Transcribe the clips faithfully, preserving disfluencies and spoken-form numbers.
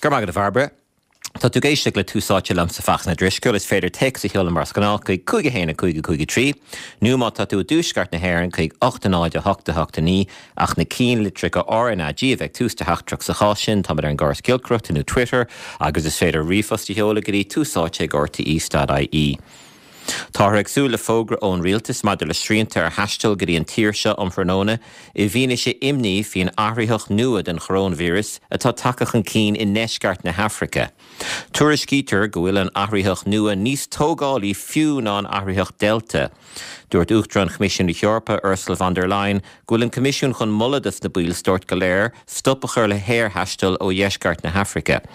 Go raibh maith agat, a Bhairbre. Tá tú ag éisteacht le Tús Áite liomsa Fachtna Drisceoil is féidir téacs a sheoladh mar is gnáth chuig cúig a haon a cúig a cúig a trí, nó má tá tú i dtuaisceart na hÉireann chuig ocht a náid a hocht a hocht a naoi ach na ceannlitreacha RnaG a bheith ag tús do theachtaireacht sa chás sin táimid ar an gcóras giolcaireachta nó Twitter agus is féidir ríomhphost a sheoladh go dtí túsáite ag rte.ie. Táthar ag súil le fógra ón rialtas maidir le srianta ar thaisteal go dtí an tír seo um thráthnóna i bhfianaise imní faoin athraitheach nua den choróinvíreas atá tagtha chun cinn i ndeisceart na hAfraice. Tuairiscítear go bhfuil an athraitheach nua níos tógálaí fiú ná an athraitheach Delta. Dúirt Uachtarán Choimisiún na hEorpa Ursula von der Leyen go bhfuil an Coimisiún chun moladh dos na ballstáit go léir stop a chur le haerthaisteal ó dheisceart na hAfraice.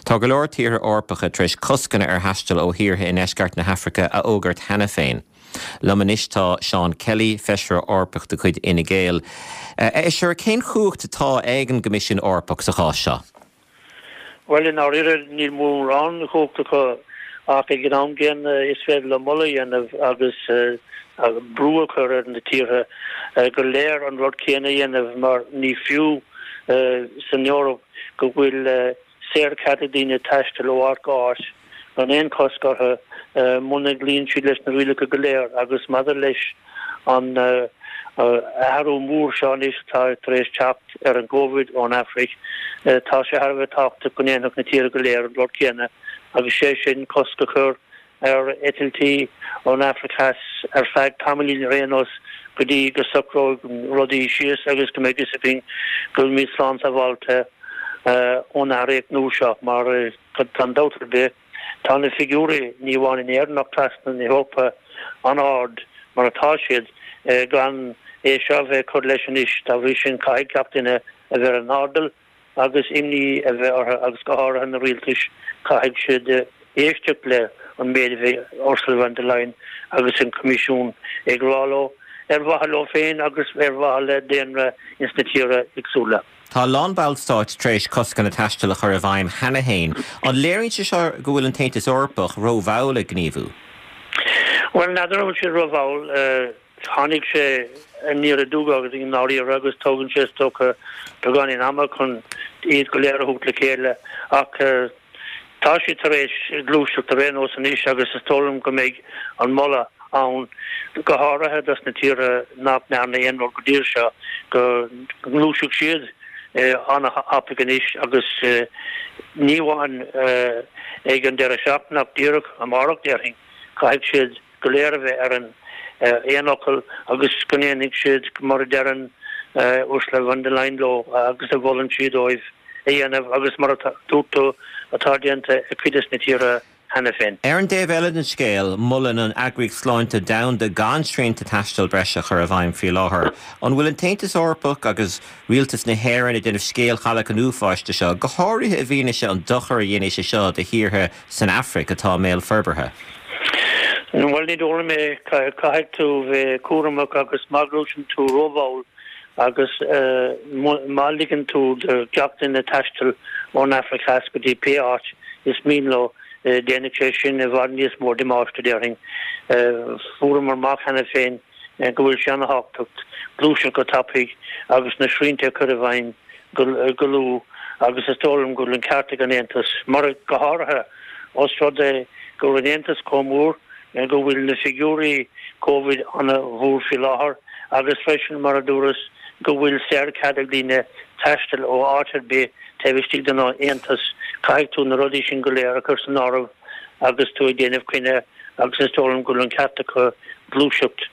Tá go leor tíortha Eorpacha tar éis coscanna ar thaisteal ó thíortha i ndeisceart na hAfraice a fhógairt cheana féin. Liom anois tá Seán Kelly, feisire Eorpach de chuid Fhine Gael. Is ar cén chumhacht atá ag an gCoimisiún Eorpach sa chás seo. Well i ndáiríre níl mórán cumhacht acu ach ag an am gcéanna is féidir leo moladh a dhéanamh agus brú a chur ar na tíortha go léir an rud céanna a dhéanamh mar ní fiú san Eoraip go bhfuil saorchead ag daoine taisteal ó áit go háit gan aon chosc orthu muna gcloíonn siad leis na rialacha go léir agus maidir leis an athrú mór seo anois atá tar éis teacht ar an gCovid ón Afraic tá sé thar a bheith tábhachtach go ndéanfadh na tíortha go léir an rud céanna agus sé sin cosc a chur ar eitiltí ón Afraic Theas ar feadh tamaillín ar aon nós go dtí go socróidh rudaí síos agus go mbeidh a fhios againn go bhfuilimid slán sábháilte ón athraitheach nua seo mar gan dabht ar bith tá na figiúirí ní amháin in Éirinn ach trasna na hEorpa an-ard mar atá siad gan é seo bheith chur leis anois dá bhrí sin caithfidh gach duine a bheith ar an airdeall agus imní a bheith orthu agus go háirithe na rialtais caithfidh siad éisteacht le an méid a bheidh Ursula von der Leyen agus an Coimisiún ag rá leo ar mhaithe leo féin agus ar mhaithe le daonra ins na tíortha éagsúla. Tá a lán ballstáit tar éis coscanna taistil a chur i bhfeidhm cheana féin. An léiríonn sé seo go bhfuil an tAontas Eorpach rómhall ag gníomhú? Well n'fheadar an bhfuil sé rómhall tháinig sé aniar aduaidh agus i ndáiríre agus tógann sé is dócha beagáinín ama chun iad go léir a thabhairt le chéile ach tá sé tar éis gluaiseacht ar aon nós anois agus is dóigh liom go mbeidh an moladh ann go háirithe dos na tíortha nach ndearna aon rud go dtí seo go ngluaisfidh siad an-tapaidh anois agus ní amháin ag an deireadh seachtaine ach díreach amárach déarfainn caithfidh siad go léir a bheith ar an aon fhocal agus go ndéanfaidh siad mar a deireann Ursula von der Leyen leo agus a mholann siad dóibh a dhéanamh agus mar a dúirt tú atá déanta ag cuid des na tíortha cheana féin. Ar an dtaobh eile den scéal, molann an Eagraíocht Sláinte Domhanda gan srianta taistil breise a chur i bhfeidhm faoi láthair. An bhfuil an tAontas Eorpach agus rialtas na hÉireann ag déanamh scéal chailleach an uafáis de seo, go háirithe i bhfianaise an dochar a dhéanfaidh sé seo do thíortha san Afraic atá i mbéal forbartha. Bhuel ní dóigh liom é caithfidh tú bheith cúramach agus má ghluaiseann tú rómhall agus má ligeann tú do gach duine taisteal ón Afraic Theas go dtí pé áit is mian leo déanfaidh sé sin i bhfad níos mó damáiste déarfainn. Fuaireamar amach cheana féin go bhfuil sé an-tábhachtach gluaiseacht go tapaidh agus na srianta a chur i bhfeidhm go luath agus is dóigh liom go bhfuil an ceart ag an Aontas mar go háirithe os rud é go bhfuil an Aontas chomh mór go bhfuil na figiúirí COVID an-mhór faoi láthair agus freisin mar a dúras go bhfuil saorchead ag daoine taisteal ó áit ar bith taobh istigh den Aontas caithfidh tú na rudaí sin go léir a chur san áireamh agus tú ag déanamh cinneadh agus is dóigh liom go bhfuil an ceart acu gluaiseacht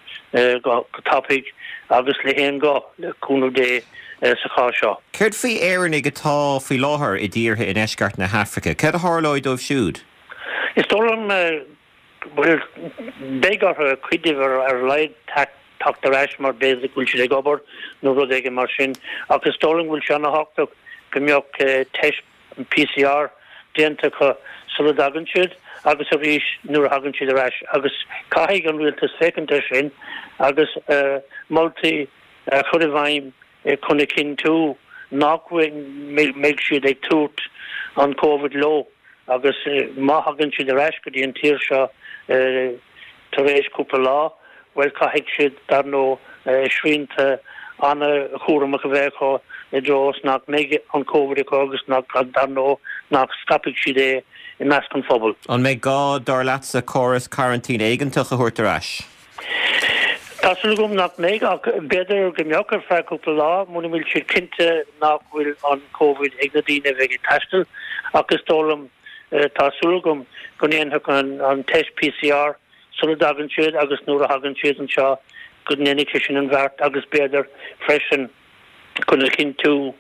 go tapaidh agus le haon ghuth le cúnamh Dé sa chás seo. Céard faoi Éireannaigh atá faoi láthair i dtíortha i ndeisceart na hAfraice, Céard a tharlóidh dóibh siúd? Is dóigh liom bhfuil beidh orthu cuid díobh ar ar a laghad teacht ar ais mar b'fhéidir go bhfuil siad ag obair nó rud éigin mar sin ach is dóigh liom go bhfuil sé an-tábhachtach go mbeadh teist PCR déanta acu sula dtagann siad agus arís nuair a thagann siad ar ais agus caithfidh an rialtas féachaint air sin agus moltaí a chur i bhfeidhm chun a chinntiú nach mbeidh siad ag tabhairt an COVID leo agus má thagann siad ar ais go dtí an tír seo tar éis cúpla lá, well caithfidh siad dar ndóigh srianta an-chúramach a bheith acu i dtreo is nach mbeidh an Covid acu agus nach, dar ndóigh, nach scaipfidh siad é i measc an phobail. An mbeidh gá, dar leatsa, córas coraintín éigeantach a thabhairt ar ais? Tá súil agam nach mbeidh, ach b'fhéidir go mbeadh ar feadh cúpla lá, muna bhfuil siad cinnte nach bhfuil an Covid ag na daoine a bheidh ag taisteal. Ach is dóigh liom, tá súil agam go ndéanfadh an teist PCR sula dtagann siad agus nuair a thagann siad anseo go ndéanfaidh sé sin an bheart agus b'fhéidir freisin chun a chinntiú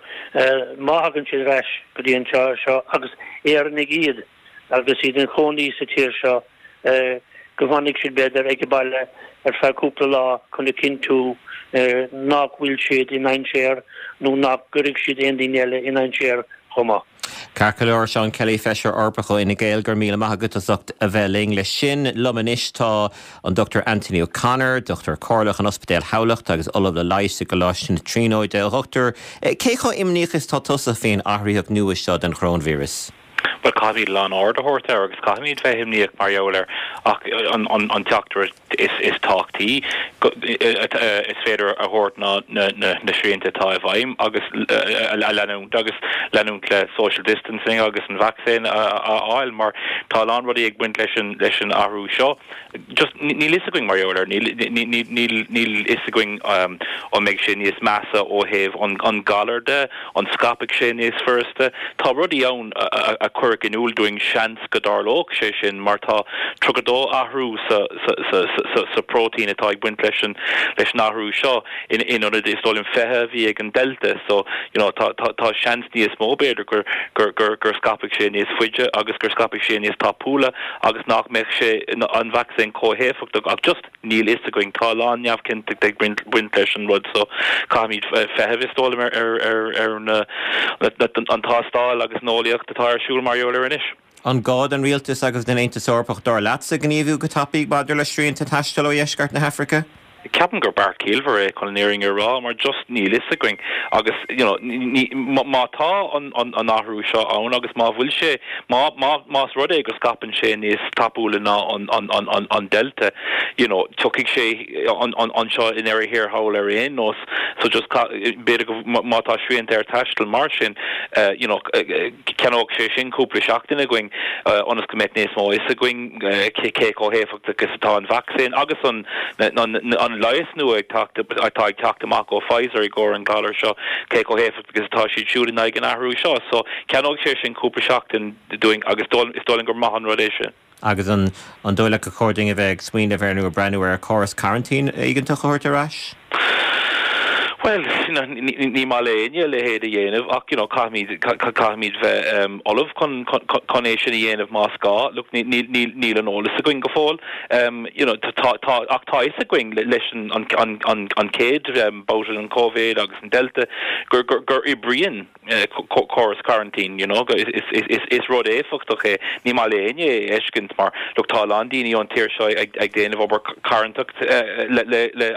má thagann siad ar ais go dtí an tír seo agus Éireannaigh iad agus iad ina gcónaí sa tír seo go bhfanfaidh siad b'fhéidir ag baile ar feadh cúpla lá chun a chinntiú nach bhfuil siad i ndainséar nó nach gcuirfidh siad aon duine eile i ndainséar chomh maith. Ceart go leor, Seán Kelly, Feisire Eorpach ó Fhine Gael, go raibh míle maith agat as ucht a bheith linn. Leis sin, liom anois tá an Dochtúir Anthony O'Connor, Dochtúir Comhairleach in Ospidéal Thamhlachta agus Ollamh le Leigheas i gColáiste na Tríonóide. A Dhochtúir, cé chomh imníoch is tá tusa faoin athraitheach nua seo den choróinvíreas? Bhuel, caithfimid a lán aird a thabhairt air agus caithfimid bheith imníoch mar gheall air ach an teachtaireacht is tábhachtaí is féidir a thabhairt ná na srianta atá i bhfeidhm agus a leanúint agus leanúint le social distancing agus an vacsaín a fháil mar tá a lán rudaí ag baint leis an leis an athrú seo. Just níl fhios againn mar gheall air, níl níl níl fhios againn an mbeidh sé níos measa ó thaobh an galar de, an scaipfidh sé níos furasta. Tá rudaí ann a chuirfeadh in iúl dúinn seans go dtarlódh sé sin mar tá tríocha dó athrú sa sa sa sa próitéin atá ag baint leis an leis an athrú seo in in ionad is dóigh liom fiche a bhí ag an Delta so you know tá tá tá seans níos mó b'fhéidir gur gur gur gur scaipfidh sé níos faide agus gur scaipfidh sé níos tapúla agus nach mbeadh sé an vacsaín chomh héifeachtach ach just níl fhios againn tá a lán neamhchinnteacht ag baint baint leis an rud so caithfimid feitheamh is dóigh liom ar ar ar ar na an tástáil agus an eolaíocht atá ar siúl mar gheall air anois. An gá don rialtas agus don Aontas Eorpach dar leatsa gníomhú go tapaidh maidir le srianta taistil ó dheisceart na hAfraice? Ceapaim gur beart ciallmhar é chun an fhírinne a rá mar just níl fhios againn agus you know ní má tá an an an athrú seo ann agus má bhfuil sé má má más rud é go scaipeann sé níos tapúla ná an an an an an Delta you know tiocfaidh sé an an anseo i ndeireadh thiar thall ar aon nós so just b'fhéidir go má tá srianta ar taisteal mar sin you know ceannóidh sé sin cúpla seachtain againn ionas go mbeidh níos mó fhios againn cé cé chomh héifeachtach is atá an vacsaín agus an an an leigheas nua ag teacht atá ag teacht amach ó Pfizer i gcomhair an galar seo cé chomh héifeachtach is atá siad siúd in aghaidh an athrú seo so ceannóidh sé sin cúpla seachtain dúinn agus is dóigh liom gur maith an rud é sin. Agus an an dóigh leat gur chóir dúinn a bheith ag smaoineamh ar nó ag breathnú ar chóras coraintín éigeantach a thabhairt ar ais? Bhuel, ní maith le éinne a leithéid a dhéanamh ach you know caithfimid caithfimid bheith ullamh chun chun é sin a dhéanamh más gá. Look, níl níl níl an eolas againn go fóill. Um, you know, tá tá ach tá fhios againn leis an an an an an chéad babhta an Covid agus an Delta gur gur gur oibríonn córas coraintín, you know, is is is is rud éifeachtach é. Ní maith le éinne é a fheiscint mar look tá a lán daoine ón tír seo ag ag déanamh obair carthanacht le le le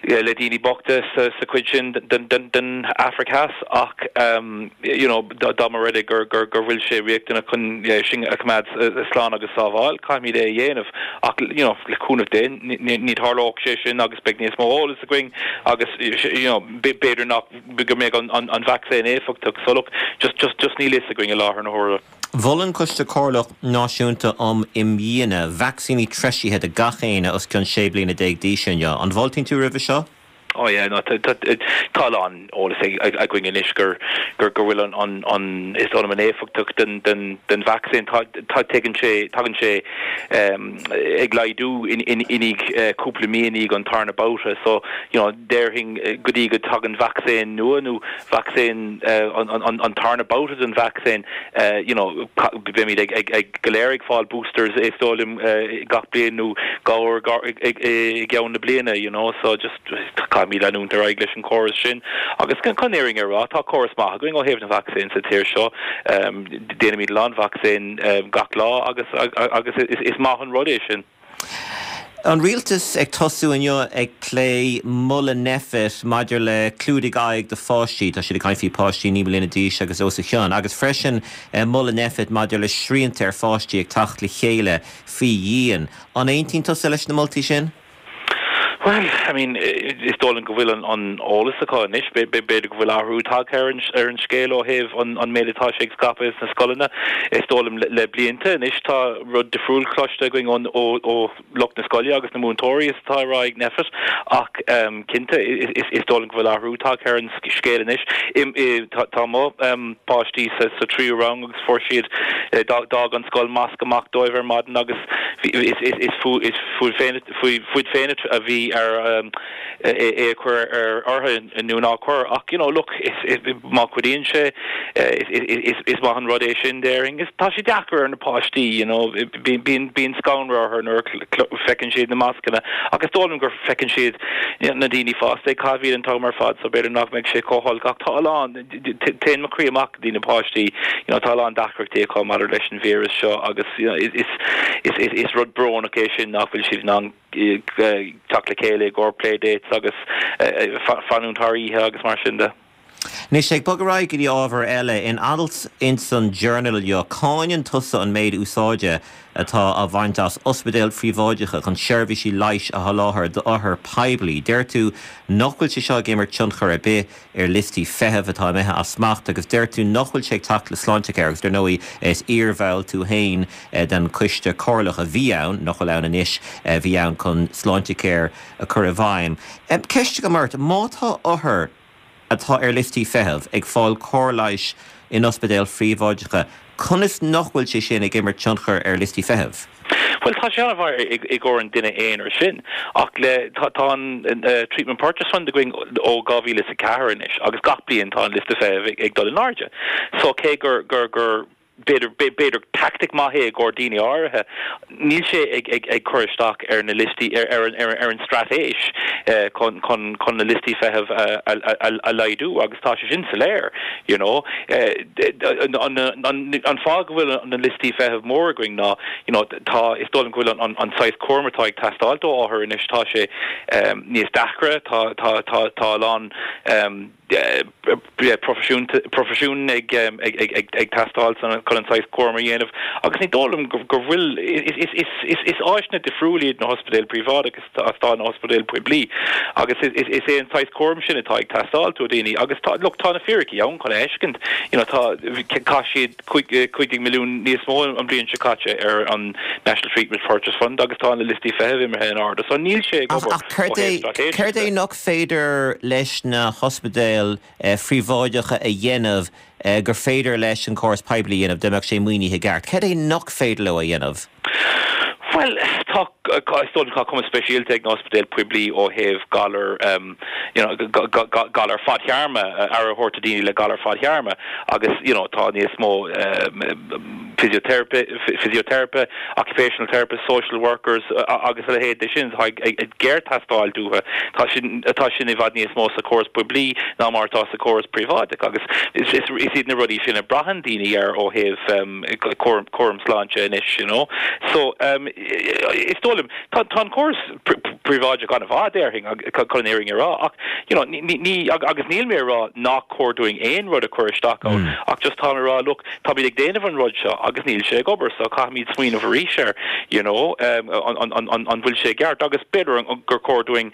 le daoine bochta sa sa chuid sin den den den Afraic Theas ach um, you know, dá mba rud é gur gur gur bhfuil sé riachtanach chun sinn a choimeád slán agus sábháil, caithfimid é a dhéanamh ach you know, le cúnamh Dé ní tharlóidh sé sin agus beidh níos mó eolas againn agus you know, b'fhéidir nach go mbeidh an, an, an vacsaín éifeachtach so look, just just just níl fhios againn i láthair na huaire. Mhol an Coiste Comhairleach Náisiúnta um Imdhíonadh vacsaíní treisithe do gach éinne os cionn sé bliana déag d'aois inniu. An bhfáiltíonn tú roimhe seo? Oh yeah, no, tá tá lán eolas againn anois gur gur gur bhfuil an an an is dóigh liom an éifeachtacht den den den vacsaín tá tá tagann sé tagann sé um, ag laghdú in in in uh, cúpla mí i ndiaidh an tarna babhta so you know déarfainn go dtí go tagann vacsaín nua nó vacsaín uh, an, an, an tarna babhta den vacsaín uh, you know beimid ag ag ag go léir ag fáil boosters is dóigh liom uh, gach bliain nó dhá i gceann na bliana you know so just caithfimid leanúint ar aghaidh leis an córas sin agus chun an fhírinne a rá tá córas maith againn ó thaobh na vacsaín sa tír seo um, déanaimid lán vacsaín um, gach lá agus agus is, is maith an rud é sin. An rialtas ag tosú inniu ag plé moladh Nphet maidir le clúdaigh aghaidh do pháistí, tá siad ag caint faoi páistí naoi mbliana d'aois agus os a chionn, agus freisin eh, moladh Nphet maidir le srianta ar pháistí ag teacht le chéile faoi dhíon. An aontaíonn tusa leis na moltaí sin? Well, I mean, is dóigh liom go bhfuil an an eolas acu anois, b'fhéidir go bhfuil athrú tagtha ar an ar an scéal ó thaobh an an méid atá sé ag scaipeadh sna scoileanna. Is dóigh liom le, le blianta anois tá rud difriúil cloiste againn ón ó ó lucht na scoile agus na múinteoirí is atá ag rá ag Nphet ach um, cinnte is, is, is dóigh liom go bhfuil athrú tagtha ar an scéal anois. Tá, tá mo um, páistí sa, sa tríú rang agus fuair siad eh, d'fhág an scoil masc amach dóibh ar maidin agus is, is, is, fu, is fúinn féin fúinn féin a bhí ar um, é a chur ar orthu nó ná cur ach you know look is, is, má chuidíonn sé is, is, is maith an rud é sin déarfainn is tá sé deacair ar na páistí you know bíonn bíonn scanradh orthu nuair feiceann siad na mascanna agus dóigh liom gur feiceann siad na daoine fásta caitheamh an t-am ar fad so b'fhéidir nach mbeidh sé chomh holc ach tá lán téann mo chroí amach do na páistí you know tá lán deacrachtaí acu maidir leis an víreas seo agus you know, is, is, is, is rud brónach é sin nach bhfuil siad in ann teacht le chéile i gcomhair playdates agus fanúint thar oíche agus mar sin de. Anois ag bogadh ar aghaidh go dtí ábhar eile in alt ins an Journal inniu cáineann tusa an méid úsáide atá á bhaint as ospidéil phríobháideacha chun seirbhísí leighis a sholáthar d'othair poiblí. Deir tú nach bhfuil sé seo ag imirt tionchar ar bith ar liostaí feithimh atá imithe as smacht agus deir tú nach bhfuil sé ag teacht le Sláintecare agus dar ndóigh is iarbhall tú féin den choiste comhairleach a bhí ann nach bhfuil ann anois bhí ann chun Sláintecare a chur i bhfeidhm. Ceist agam ort má tá othar atá ar liostaí feithimh ag fáil cóir leighis in ospidéil phríobháideacha, conas nach bhfuil sé sin ag imirt tionchar ar liostaí feithimh? Well tá sé an-mhaith i gcomhair an duine aonair sin ach le tá an uh, treatment purchase fund againn ó dhá mhíle is a ceathair anois agus gach bliain tá an liosta feithimh ag, ag dul in airde. So cé gur gur gur b'fhéidir b'fhéidir tactic maith é i gcomhair daoine áirithe níl sé ag ag ag cur isteach ar na liostaí ar ar ar, ar an straitéis eh, chun chun chun na liostaí feithimh a, a, a, a laghdú agus tá sé sin soiléir you know eh, an, an, an fáth go bhfuil na liostaí feithimh mór againn ná you know tá is dóigh go bhfuil an, an, an saghas cúraim atá ag teastáil ó othair anois tá sé um, níos deacra tá tá tá tá lán um, profisiún profisiún ag ag ag ag ag teastáil chun an saghas cúraim a dhéanamh agus ní dóigh liom go bhfuil is is is is áiseanna difriúla iad na hospidéil príobháideach agus tá na hospidéil poiblí agus is is é an saghas cúraim sin atá ag teastáil ó daoine agus tá look tá na fíricí ann chun fheiscint you know tá chaith siad cúig milliún níos mó an bliain seo caite ar an National Treatment Purchase Fund agus tá na liostaí feithimh imithe in airde so níl sé Céard é nach féidir leis na hospidéil phríobháideacha a dhéanamh gur féidir leis an córas poiblí dhéanamh dá mbeadh sé maoinithe i gceart. Céard é nach féidir leo a dhéanamh? Well tá tá cuma speisialta ag na hospidéil poiblí ó thaobh galar um, you know, galar fadtéarma aire a thabhairt do daoine le galar fadtéarma agus you know, tá níos mó um, physiotherapy, physiotherapy, occupational therapist, social workers agus a leithéid de sin ag géartheastáil uathu tá sin tá sin i bhfad níos mó sa córas poiblí ná mar atá sa córas príobháideach agus is is is iad na rudaí sin a braitheann daoine ar ó thaobh um, cúram sláinte anois you know so um, is dóigh liom tá tá an córas príobháideach an-mhaith déarfainn chun an fhírinne a rá ach you know ní ní agus níl mé rá nach cóir dúinn aon rud a chur isteach ann mm. ach just tá rá look tá ag déanamh an rud seo agus níl sé ag obair so caithfimid smaoineamh arís ar you know um, an, an, an, an bhfuil sé ceart agus b'fhéidir gur cóir dúinn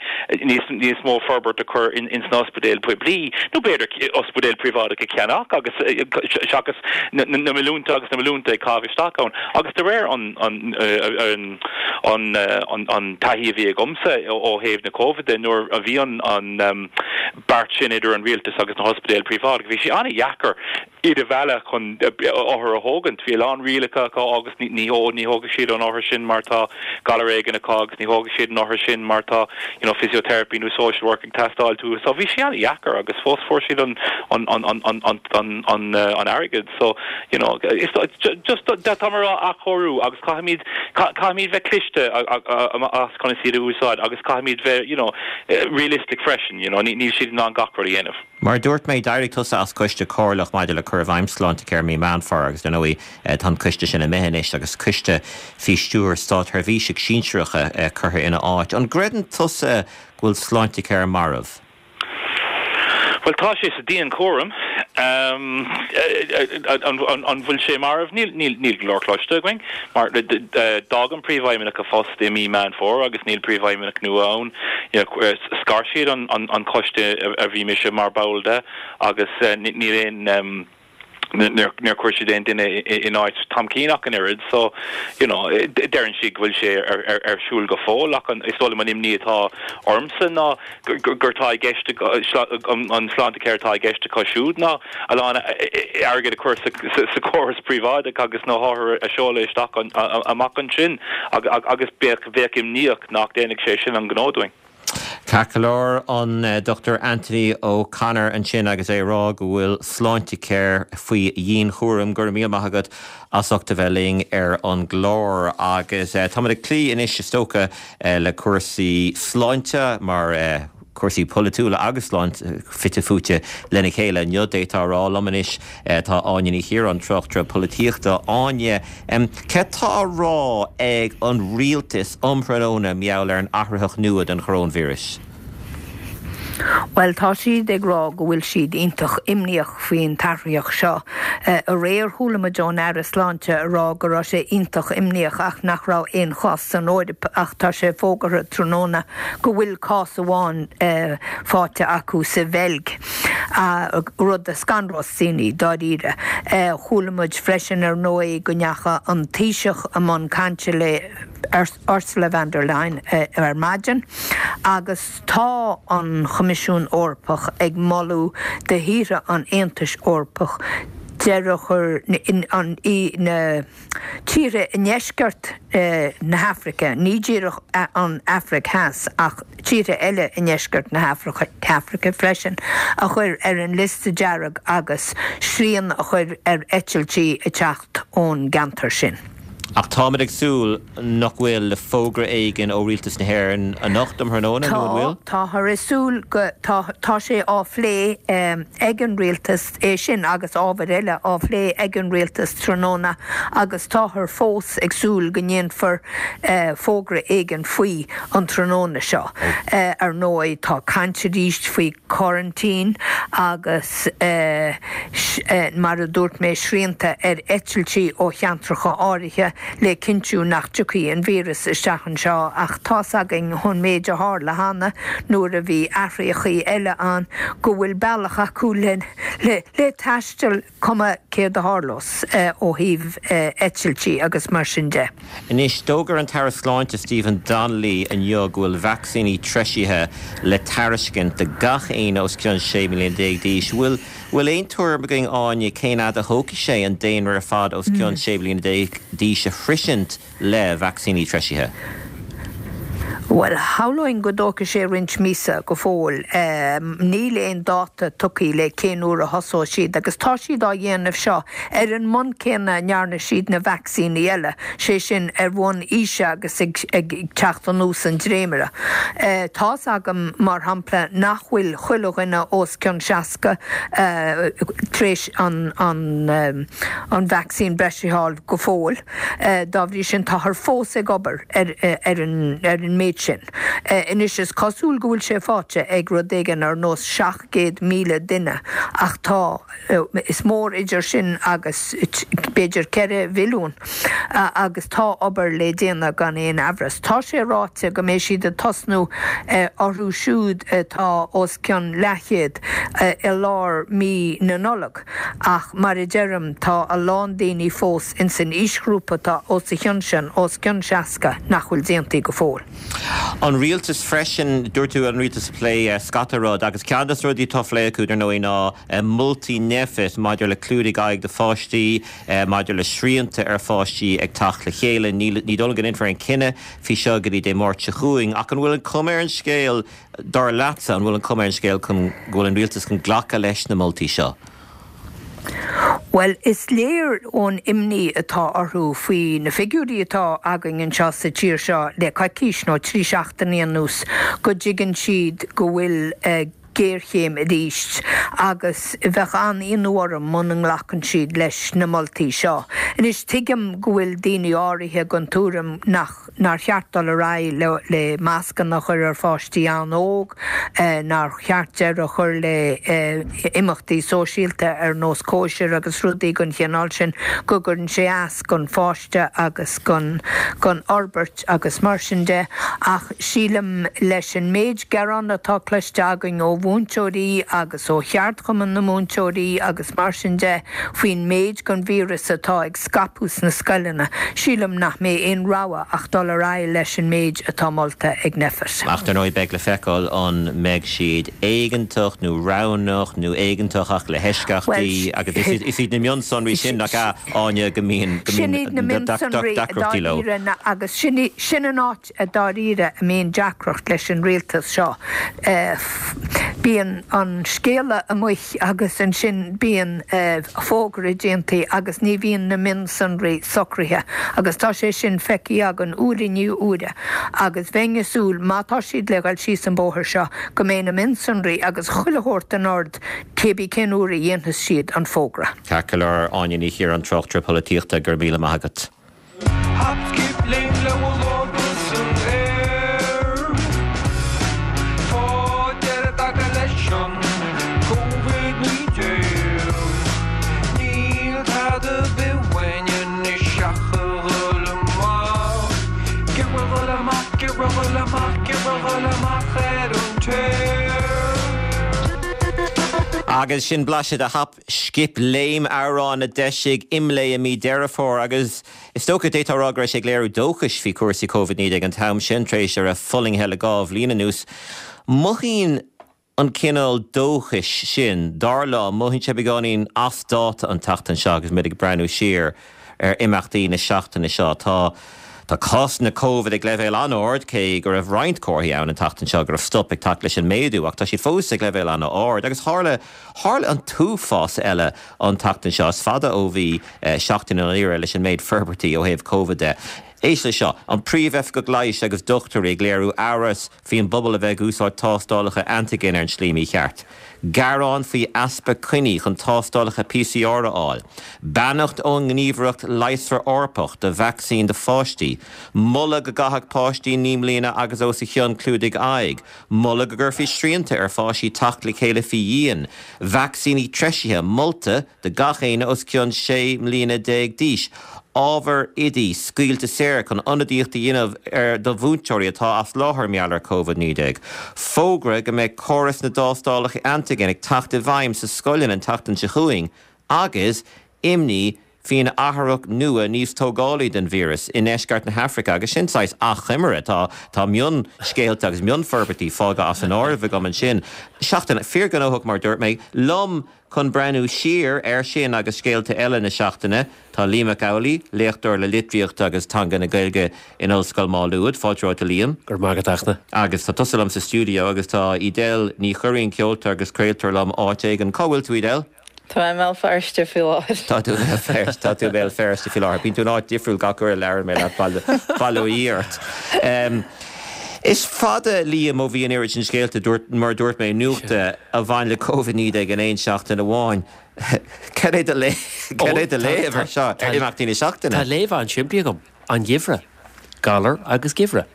níos níos mó forbairt a chur in in sna ospidéil poiblí nó b'fhéidir ospidéil príobháideach a cheannach agus seachas na, na milliúnta agus na milliúnta ag caitheamh isteach ann agus de réir an an an an an, an taithí a bhí agamsa ó thaobh na COVID nuair a bhí an an um, beart sin idir an rialtas agus na hospidéil príobháideach bhí sé an-deacair iad a mhealladh chun othar a thógaint bhí lán rialacha acu agus ní ní ní thógfaidh siad an othar sin mar tá galar éigin acu agus ní thógfaidh siad an othar sin mar tá you know physiotherapy nó social work ag teastáil uathu so bhí sé an-deacair agus fós fuair siad an an an an an an an an uh, an airgead so you know is just tá mar athchóiriú agus caithfimid caithfimid bheith cliste as chun iad a úsáid agus caithfimid bheith you know realistic freisin you know níl siad in ann gach rud a dhéanamh. Mar dúirt mé d'éirigh tusa as coiste comhairleach maidir le cur i bhfeidhm Sláintecare mí Meán Fómhair agus dar ndóigh tá an coiste sin imithe anois agus coiste faoi stiúir státseirbhísigh sinsearacha curtha ina áit. An gcreideann tusa go bhfuil Sláintecare marbh? Well tá sé sa dianchúram An bhfuil sé marbh? Níl níl go leor cloiste againn, mar d'fhág an príomhfheidhmeannach a phost i mí Meán Fómhair agus níl príomhfheidhmeannach nua ann. Scar siad an coiste a bhí mise mar ball de agus níl aon níor chuir siad aon duine in áit Tom Keane ach an oiread so you know deireann siad go bhfuil sé ar, ar, ar siúl go fóill ach an, is dóigh liom an imní atá ormsa ná gur tá i gceist an Sláintecare atá i gceist acu siúd ná a lán airgead a chur sa, sa, sa chóras príobháideach agus na hothair a seoladh isteach amach ansin agus bheadh bheadh imníoch nach ndéanfaidh sé sin an gnó dúinn. Ceart go leor an Doctor Anthony O'Connor ansin agus é rá go bhfuil Sláintecare faoi dhianchúram. Go raibh míle maith agat as ucht a bheith linn ar an gclár agus táimid ag cloí anois is dócha le cúrsaí sláinte mar cúrsaí polaitiúla agus sláinte fite fuaite lena chéile. Inniu d'fhéadfá a rá liom anois tá Áine Ní Chiaráin, tráchtaire polaitíochta. Áine, céard tá á rá ag an rialtas um thráthnóna mar gheall ar an athraitheach nua den choróinvíreas? Well tá siad ag rá go bhfuil siad iontach imníoch faoin t-athraitheach seo. Aréir chuala muid ón Aire Sláinte a rá go raibh sé iontach imníoch ach nach raibh aon chás san Eoraip ach tá sé fógartha tráthnóna go bhfuil cás amháin faighte acu sa Bheilg. Rud a scanrós daoine dáiríre. Chuala muid freisin ar ndóigh go ndeachaigh an Taoiseach i mbun cainte le Ursula von der Leyen ar maidin agus tá an Choimisiún Eorpach ag moladh do thíortha an Aontais Eorpach deireadh a chur an na tíortha i ndeisceart na hAfraice, ní díreach an Afraic Theas ach tíortha eile i ndeisceart na hAfraice freisin, a chur ar an liosta dearg agus srian a chur ar eitiltí ag teacht ón gceantar sin. Ach táimid ag súil nach bhfuil le fógra éigin ó Rialtas na hÉireann anocht um thráthnóna nó an bhfuil? Tá, táthar ag súil go, tá, tá sé á phlé ag an Rialtas, é sin agus ábhair eile á phlé ag an Rialtas tráthnóna agus táthar fós ag súil go ndéanfar fógra éigin faoi an tráthnóna seo. Ar ndóigh tá caint arís faoi coraintín agus mar a dúirt mé srianta ar eitiltí ó cheantracha áirithe le cinntiú nach dtiocfaidh an víreas isteach anseo ach tá's againn ón méid a tharla cheana nuair a bhí athraitheachaí eile ann go bhfuil bealach acu le le taisteal cuma céard a tharlós ó thaobh eitiltí agus mar sin de. Anois, d'fhógair an tAire Sláinte Stephen Donnelly inniu go bhfuil vacsaíní treisithe le tairiscint do gach éinne os cionn sé mbliana déag d'aois. Bhfuil bhfuil aon tuairim againn Áine cén fhad a thógfaidh sé an daonra ar fad os cionn sé bliana déag d'aois a shroisint le vacsaíní treisithe? Bhuel, shamhlóinn go dtógfaidh sé roinnt míosa go fóill. Níl aon dáta tugtha le cén uair a thosóidh siad agus tá siad á dhéanamh seo ar an mbonn céanna a ndearna siad na vacsaíní eile, sé sin ar bhonn aoise agus ag teacht anuas an dréimire. Tá's agam, mar shampla, nach bhfuil chuile dhuine os cionn seasca tar éis an vacsaín breise a fháil go fóill. Dá bhrí sin, táthar fós ag obair ar an méid sin. Anois is cosúil go bhfuil sé faighte ag rud éigin ar nós seacht gcéad míle duine ach tá, is mór idir sin agus b'fhéidir ceithre mhilliún agus tá obair le déanamh gan aon amhras. Tá sé ráite go mbeidh siad ag tosnú orthu siúd atá os cionn leathchéad i lár mí na Nollag ach mar a deirim tá a lán daoine fós ins an aoisghrúpa atá os a chionn sin, os cionn seasca, nach bhfuil déanta go fóill. An rialtas freisin, dúirt tú an rialtas ag plé scata rud agus ceann de na rudaí atá á phlé acu dar ndóigh ná moltaí Nphet maidir le clúdaigh aghaidh do pháistí, maidir le srianta ar pháistí ag teacht le chéile. Ní dóigh liom go ndéanfar aon chinneadh faoi seo go dtí Dé Máirt seo chugainn ach an bhfuil an chuma ar an scéal, dar leatsa, an bhfuil an chuma ar an scéal chun go bhfuil an rialtas chun glacadh leis na moltaí seo? Bhuel, is léir ón imní atá orthu faoi na figiúirí atá againn anseo sa tír seo le coicís nó trí seachtainí anuas go dtuigeann siad go bhfuil géarchéim arís agus bheadh an-ionadh orm muna nglacann siad leis na moltaí seo. Anois tuigim go bhfuil daoine áirithe den tuairim nach nár cheart dul ar aghaidh le, le mascanna a chur ar pháistí an-óg, eh, nár cheart deireadh a chur le eh, imeachtaí sóisialta ar nós cóisir agus rudaí den chineál sin go gcuireann sé as don pháiste agus don don fhorbairt agus mar sin de ach sílim leis an méid gearán atá cloiste againn ó mhúinteoirí agus ó cheardchumann na múinteoirí agus mar sin de faoin méid den víreas atá ag scaipeadh sna scoileanna. Sílim nach mbeidh aon rogha ach dul ar aghaidh leis an méid atá molta ag Nphet. Ach ar ndóigh beidh le feiceáil an mbeidh siad éigeantach nó roghnach nó éigeantach ach le heisceachtaí agus is iad na mionsonraí sin nach ea Áine go mbíonn go Sin iad na mionsonraí deacrachtaí leo. dáiríre agus sin sin an áit a dáiríre a mbíonn deacracht leis an rialtas seo. Eh, bíonn an scéala amuigh agus ansin bíonn eh, fógra déanta agus ní bhíonn na mionsonraí socraithe agus tá sé sin feicthe againn uair i ndiaidh uaire agus bheinn ag súil má tá siad le dhul síos an bóthar seo go mbeidh na mionsonraí agus chuile shórt in ord cébí cén uair a dhéanfas siad an fógra. Ceart go leor Áine Ní Chiaráin tráchtaire polaitíochta go raibh míle maith agat. Hop, skip, léim le lámha san aer. Tá deireadh tagtha leis an Covid naoi déag. Níl tada bith uainn anois ach a dhul amach. Ag dul amach, ag dul amach, ag dul amach ar an tear. Agus sin blaiseadh de Hop Scip Léim amhrán a d'eisigh IMLÉ i mí Deireadh Fómhair agus is dócha d'fhéadfá a rá go raibh sé ag léiriú dóchais faoi chúrsaí Covid naoi déag an t-am sin tar éis a raibh fulaingthe le dhá bhliain anuas. Mothaíonn an cineál dóchais sin dar liom mothaíonn sé beagáinín as dáta an tseachtain seo agus muid ag breathnú siar ar imeachtaí na seachtaine seo tá Tá cásanna COVID ag leibhéal an-ard cé go raibh roinnt comharthaí ann an tseachtain seo go raibh stop ag teacht leis an méadú ach tá siad fós ag leibhéal an-ard agus tharla tharla an t-uafás eile an tseachtain seo is fada ó bhí eh, seachtain an éire leis an méid forbairtí ó thaobh COVID de. Éist le seo, an príomhoifigeach leighis agus dochtúirí ag léiriú amhras faoin bpobal a bheith ag úsáid tástálacha antigen ar an slí mícheart. Gearán faoi easpa coinní chun tástálacha PCR a fháil. Beannacht ón nGníomhaireacht Leigheasra Eorpach do vacsaín do pháistí. Moladh go gcaithfeadh páistí naoi mbliana agus os a chionn clúdaigh aghaidh. Moladh go gcuirfí srianta ar pháistí teacht le chéile faoi dhíon. Vacsaíní treisithe molta do gach éinne os cionn sé mbliana déag d'aois. Ábhar oidí scaoilte saor chun ionadaíocht a dhéanamh ar do mhúinteoirí atá as láthair mar gheall ar COVID naoi déag. Fógra go mbeidh córas na dtástálacha antigen ag teacht i bhfeidhm sa scoileanna an tseachtain seo chugainn, agus imní faoin athraitheach nua níos tógálaí den víreas i ndeisceart na hAfraice agus sin saghas achoimre tá tá mionscéalta agus mionfhorbairtí fágtha as an áireamh agam ansin. Seachtain fíorghnóthach mar dúirt mé liom chun breathnú siar ar sin agus scéalta eile na seachtaine tá Liam Mac Amhlaigh, léachtóir le litríocht agus teanga na Gaeilge in Ollscoil Mhá Nuad, fáilte romhat a Liam. Gur magat achna. Agus tá tusa liom sa stiúideo agus tá Edel Ní Churraoin ceoltóir agus craoltóir liom áit éigin. Cá bhfuil tú Edel? Tá mé i mBéal Feirste faoi láthair. Tá tú Feirste tá tú Béal Feirste faoi láthair. Bíonn tú in áit difriúil gach uair a labhrann mé leat bail ó Dhia ort. Um, Is fada Liam ó bhí an oiread sin scéalta mar dúirt mé nuachta a bhain le Covid naoi déag in aon seachtain amháin. Cad é do léamh air seo ar imeachtaí na seachtaine? Tá léamh an-simplí agam an geimhreadh, galar agus geimhreadh.